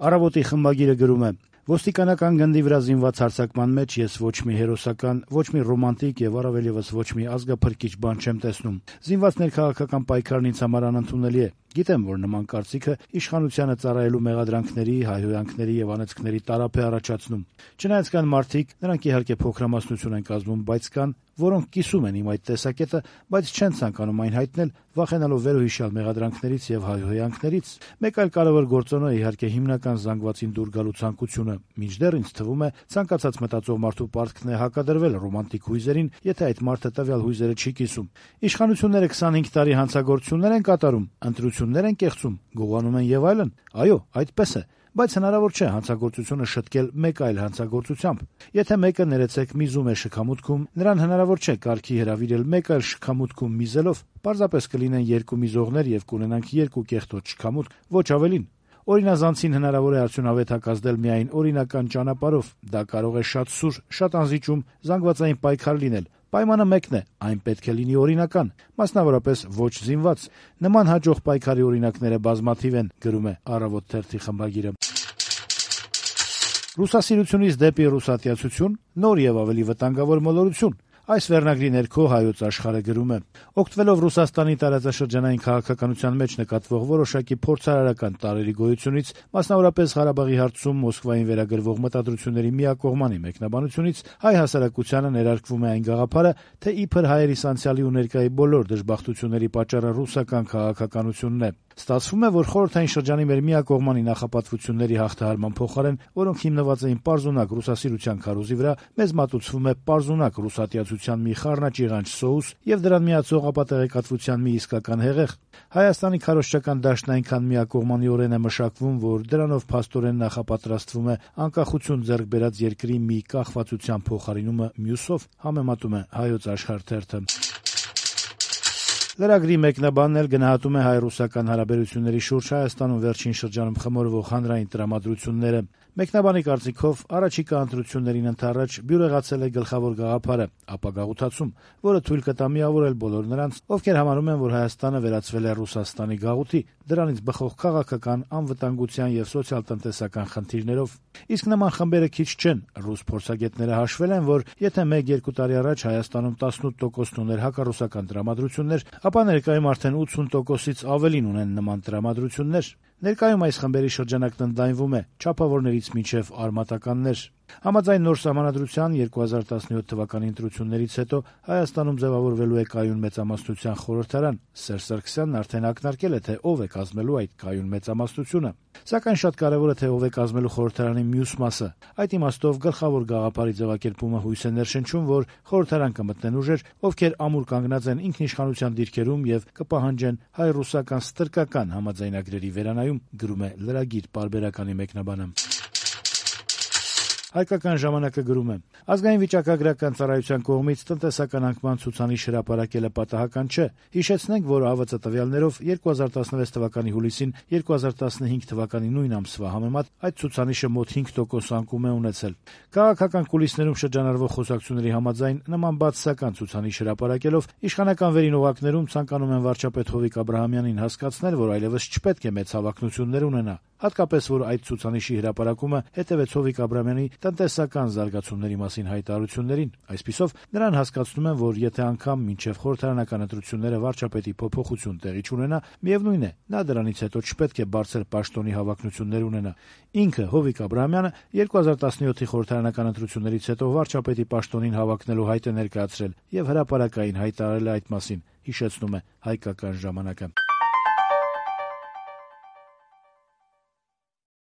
Առավոտի խմբագիրը գրում է. «Ոստիկանական գնդի վրա զինված հարձակման մեջ ես ոչ մի հերոսական, ոչ մի ռոմանտիկ եւ առավել եւս ոչ մի ազգափրկիչ բան չեմ տեսնում։ Զինված ներքաղաքական պայքարն ինձ համար անընդունելի է։ Գիտեմ, որ նման կարծիքը իշխանությանը ծառայելու մեղադրանքների, հայհոյանքների եւ անեծքների տարափ է առաջացնում։ Չնայած կան մարդիկ, նրանք իհարկե փոքրամասնություն են կազմում, բայց կան, որոնք կիսում են իմ այդ տեսակետը, բայց չեն ցանկանում այն հայտնել, վախենալով վերոհիշյալ մեղադրանքներից եւ հայհոյանքներից։ Մեկ այլ կարևոր գործոնը իհարկե հիմնական զանգվածին դուր գալու ցանկությունը։ Մինչդեռ ինձ թվում է, ցանկացած մտածող մարդու պարտքն է հակադրվել ռոմանտիկ հույզերին, եթե այդ մարդը տվյալ հույզերը չի կիսում։ Իշխանությունները 25 տարի հանցագործություններ են կատարում, ընտրություններ են կեղծում, գողանում են եւ այլն։ Այո, այդպես է։ Բայց հնարավոր չէ հանցագործությունը շտկել մեկ այլ հանցագործությամբ։ Եթե մեկը ներեցեք միզում է շքամուտքում, նրան հնարավոր չէ կարգի հրավիրել մեկ այլ շքամուտքում միզելով։ Պարզապես կլինեն երկու միզողներ եւ կունենանք երկու կեղտոտ շքամուտք, ոչ ավելին։ Օրինազանցին հնարավոր է արդյունավետ հակազդել միայն օրինական ճանապարհով։ Դա կարող է շատ սուր, շատ անզիջում, զանգվածային պայքար լինել։ Պայմանը մեկն է, այն պետք է լինի օրինական, մասնավորապես ոչ զինված։ Նման հաջող պայքարի օրինակները բազմաթիվ են, գրում է Առավոտ թերթի խմբագիրը։ Ռուսասիրությունից դեպի ռուսատյացություն, նոր եւ ավելի վտանգավոր մոլորություն։ Այս վերնագրի ներքո Հայոց Աշխարհը գրում է. օգտվելով Ռուսաստանի տարածաշրջանային քաղաքականության մեջ նկատվող որոշակի փորձարարական տարրերի գոյությունից, մասնավորապես Ղարաբաղի հարցում Մոսկվային վերագրվող մտադրությունների միակողմանի մեկնաբանությունից, հայ հասարակությանը ներարկվում է այն գաղափարը, թե իբր հայերի անցյալի ու ներկայի բոլոր դժբախտությունների պատճառը ռուսական քաղաքականությունն է։ Ստացվում է, որ խորհրդային շրջանի մեր միակողմանի նախապատվությունների հաղթահարման փոխարեն, որոնք հիմնված էին պարզունակ ռուսասիրության քարոզի վրա, մեզ մատուցվում է պարզունակ ռուսատյացության մի խառնաճիղանչ սոուս եւ դրան միացող ապատեղեկատվության մի իսկական հեղեղ։ Հայաստանի քարոզչական դաշտն այնքան միակողմանիորեն է մշակվում, որ դրանով փաստորեն նախապատրաստվում է անկախություն ձեռք բերած երկրի մի կախվածության փոխարինումը մյուսով, համեմատում է Հայոց Աշխարհ թերթը։ Լրագրի մեկնաբանն էլ գնահատում է հայ-ռուսական հարաբերությունների շուրջ Հայաստանում վերջին շրջանում խմորվող հանրային տրամադրությունները։ Մեկնաբանի կարծիքով առաջիկա ընտրություններին ընդառաջ բյուրեղացել է գլխավոր գաղափարը՝ ապագաղութացում, որը թույլ կտա միավորել բոլոր նրանց, ովքեր համարում են, որ Հայաստանը վերածվել է Ռուսաստանի գաղութի, դրանից բխող քաղաքական, անվտանգության եւ սոցիալ-տնտեսական խնդիրներով։ Իսկ նման խմբերը քիչ չեն։ Ռուս փորձագետները հաշվել են, որ եթե 1-2 տարի առաջ Հայաստանում 18%-ն ուներ հակառուսական տրամադրություններ, ապա ներկայում արդեն 80%-ից ավելին ունեն նման տրամադրություններ։ Ներկայում այս խմբերի շրջանակն ընդլայնվում է չափավորներից մինչև արմատականներ։ Համաձայն նոր սահմանադրության 2017 թվականի ընտրություններից հետո Հայաստանում ձևավորվելու է կայուն մեծամասնության խորհրդարան։ Սերժ Սարգսյանն արդեն ակնարկել է, թե ով է կազմելու այդ կայուն մեծամասնությունը։ Սակայն շատ կարևոր է, թե ով է կազմելու խորհրդարանի մյուս մասը։ Այդ իմաստով գլխավոր գաղափարի ձևակերպումը հույս է ներշնչում, որ խորհրդարան կմտնեն ուժեր, ովքեր ամուր կանգնած են ինքնիշխանության դիրքերում եւ կպահանջեն հայ-ռուսական ստրկական համաձայնագրերի վերանայում, գրում է լրագիր պարբերականի մեկնաբանը։ Հայկական ժամանակը գրում է. ազգային վիճակագրական ծառայության կողմից տնտեսական անկման ցուցանիշ հրապարակելը պատահական չէ։ Հիշեցնենք, որ ԱՎԾ տվյալներով 2016 թվականի հուլիսին 2015 թվականի նույն ամսվա համեմատ այդ ցուցանիշը մոտ 5% անկում է ունեցել։ Քաղաքական կուլիսներում շրջանառվող խոսակցությունների համաձայն նման բացասական ցուցանիշ հրապարակելով իշխանական վերին օղակներում ցանկանում են վարչապետ Հովիկ Աբրահամյանին հասկացնել, որ այլևս չպետք է մեծ հավակնություններ ունենա։ Հատկապես, որ այդ ցուցանիշի հրապարակումը հետևեց Հովիկ Աբրահամյանի տնտեսական զարգացումների մասին հայտարարություններին։ Այսպիսով, նրան հասկացնում են, որ եթե անգամ մինչև խորհրդարանական ընտրությունները վարչապետի փոփոխություն տեղի չունենա, միևնույն է, նա դրանից հետո չպետք է բարձր պաշտոնի հավակնություններ ունենա։ Ինքը Հովիկ Աբրահամյանը 2017-ի խորհրդարանական ընտրություններից հետո վարչապետի պաշտոնին հավակնելու հայտ է ներկայացրել եւ հրապարակային հայտարարել է այդ մասին, հիշեցնում է Հայկական ժամանակը։